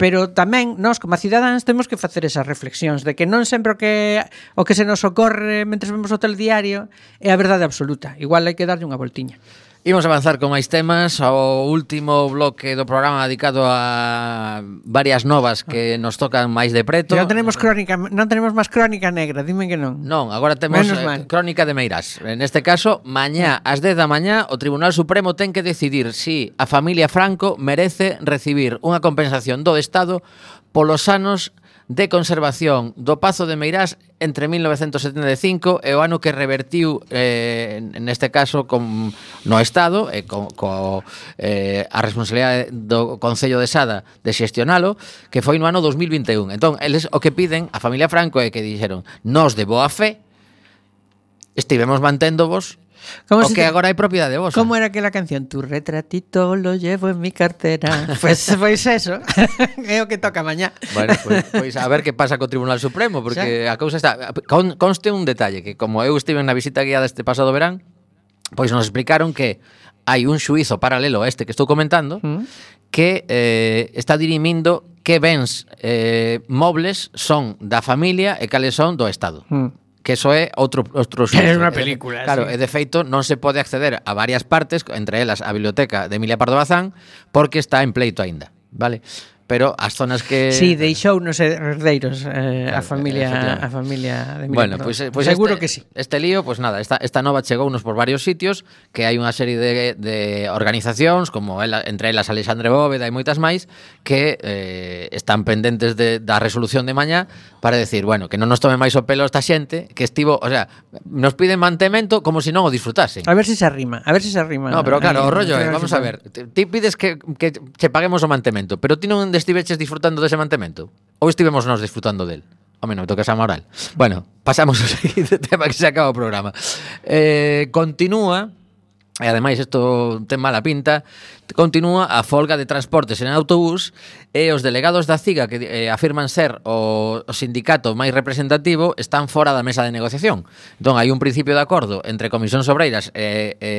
pero tamén nós como cidadáns temos que facer esas reflexións de que non sempre o que o que se nos ocorre mentres vemos o telediario é a verdade absoluta. Igual hai que darlle unha voltiña. Imos avanzar con máis temas. O último bloque do programa dedicado a varias novas que nos tocan máis de preto. Non tenemos crónica, non tenemos máis crónica negra, dime que non. Non, agora temos Menos eh, mal. crónica de Meirás. En este caso, mañá ás dez da mañá o Tribunal Supremo ten que decidir si a familia Franco merece recibir unha compensación do Estado polos anos de conservación do Pazo de Meirás entre mil novecentos setenta e cinco e o ano que revertiu eh, neste caso con, no Estado e co, co, eh, a responsabilidade do Concello de Sada de xestionalo, que foi no ano dos mil vinte e un. Entón, eles o que piden a familia Franco é que dixeron: "Nós de boa fe estivemos manténdovos Como o se que te- agora hai propiedade vosa". ¿Cómo era aquela canción? Tu retratito lo llevo en mi cartera. Pues, pues eso, é o que toca mañá. Bueno, pois, pois a ver que pasa co Tribunal Supremo, porque a cousa está... Con, conste un detalle, que como eu estive na visita guiada este pasado verán, pois nos explicaron que hai un xuízo paralelo a este que estou comentando, Mm. que eh, está dirimindo que bens eh, mobles son da familia e cales son do Estado. Mm. Que eso é outro outro xuízo. É unha Eh, película, Claro, sí. e de feito non se pode acceder a varias partes, entre elas a biblioteca de Emilia Pardo Bazán, porque está en pleito aínda, vale? Pero as zonas que Sí, deixou nos herdeiros eh, a Claro, familia efectivamente. a familia de Emilia Bueno, Pardo. pois pues, pues seguro este, que sí. Este lío, pues nada, esta, esta nova chegounos por varios sitios, que hai unha serie de, de organizacións, como ela, entre elas Alexandre Bóveda e moitas máis, que eh, están pendentes de, da resolución de mañá para decir, bueno, que non nos tome máis o pelo esta xente, que estivo, o sea, nos piden mantemento como se non o disfrutasen. A ver se si se arrima, a ver se si se arrima. No, pero claro, Aí, o rollo é, creo que vamos sí. a ver, ti ti pides que, que che paguemos o mantemento, pero ti non estiveches disfrutando dese mantemento? Ou estivemos nós disfrutando del? Home, non me toques a moral. Bueno, pasamos ao seguinte tema que se acaba o programa. Eh, continúa, e ademais isto ten mala pinta, continúa a folga de transportes en autobús e os delegados da CIGA que eh, afirman ser o, o sindicato máis representativo están fora da mesa de negociación. Entón, hai un principio de acordo entre Comisións Obreiras e, e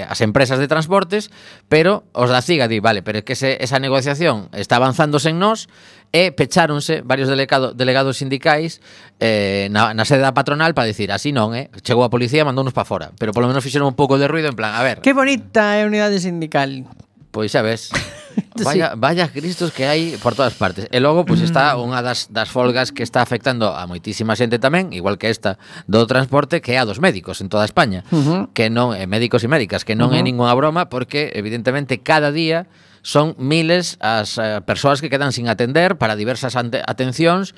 as empresas de transportes, pero os da CIGA di, vale, pero é que se, esa negociación está avanzándose en nós e pecháronse varios delegado, delegados sindicais eh, na, na sede da patronal para dicir, así non, eh? Chegou a policía e mandounos para fora, pero polo menos fixeron un pouco de ruido en plan, a ver, Qué bonita é a unidade sindical. pois xa ves, vaya, vaya cristos que hai por todas partes. E logo, pois está unha das, das folgas que está afectando a moitísima xente tamén, igual que esta do transporte, que é a dos médicos en toda España, Uh-huh. que non é médicos e médicas, que non uh-huh. é ningunha broma, porque evidentemente cada día son miles as eh, persoas que quedan sin atender para diversas ante- atencións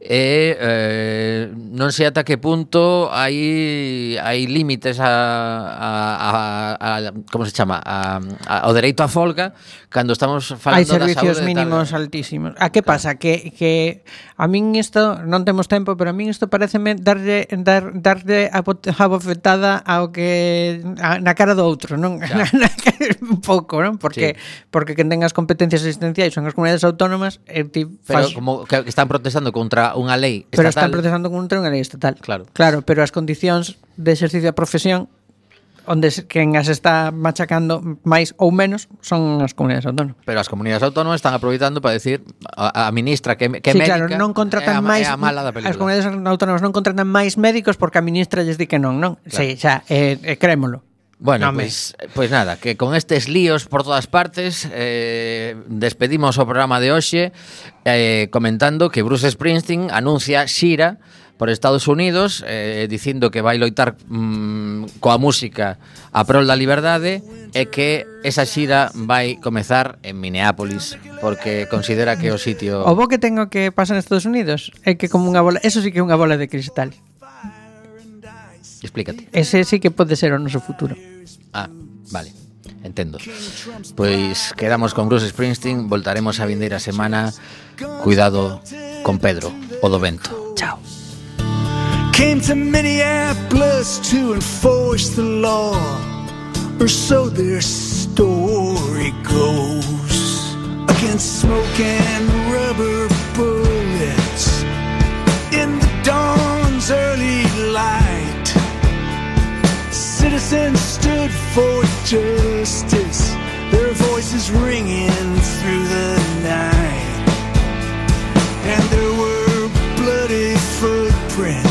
e eh, non sei ata que punto hai hai límites a, a, a, a como se chama a, a, ao dereito á folga cando estamos Hai falando da servicios saúde mínimos tal. altísimos. A que pasa? Que, que a min isto, non temos tempo, pero a min isto pareceme darlle, dar, darlle a, bot- a bofetada ao que a, na cara do outro, non? Ya. Na cara- un pouco, non? Porque, Sí. porque quen ten as competencias asistenciais son as comunidades autónomas e ti Pero fas... como que están protestando contra unha lei Pero estatal. están protestando contra unha lei estatal. Claro. Claro, pero as condicións de exercicio da profesión onde se- quen as está machacando máis ou menos son as comunidades autónomas. Pero as comunidades autónomas están aproveitando para decir a, a ministra que, que sí, médica claro, non é a, contratan máis é a mala da película. as comunidades autónomas non contratan máis médicos porque a ministra lles di que non, non? Claro. Sí, xa, eh, eh, crémolo. Bueno, Home. pois pues, pues nada, que con estes líos por todas partes eh, despedimos o programa de hoxe eh, comentando que Bruce Springsteen anuncia xira por Estados Unidos eh, dicindo que vai loitar mm, coa música a prol da liberdade e que esa xira vai comezar en Minneapolis porque considera que é o sitio... O bo que tengo que pasar en Estados Unidos é que como unha bola, eso sí que é unha bola de cristal. Explícate. Ese sí que pode ser o noso futuro. Ah, vale, entendo. Pois quedamos con Bruce Springsteen, voltaremos a vindeira semana. Cuidado con Pedro, o do vento. Chao. Came to Minneapolis to enforce the law, or so their story goes. Against smoke and rubber bullets in the dawn's early light, citizens stood for justice, their voices ringing through the night. And there were bloody footprints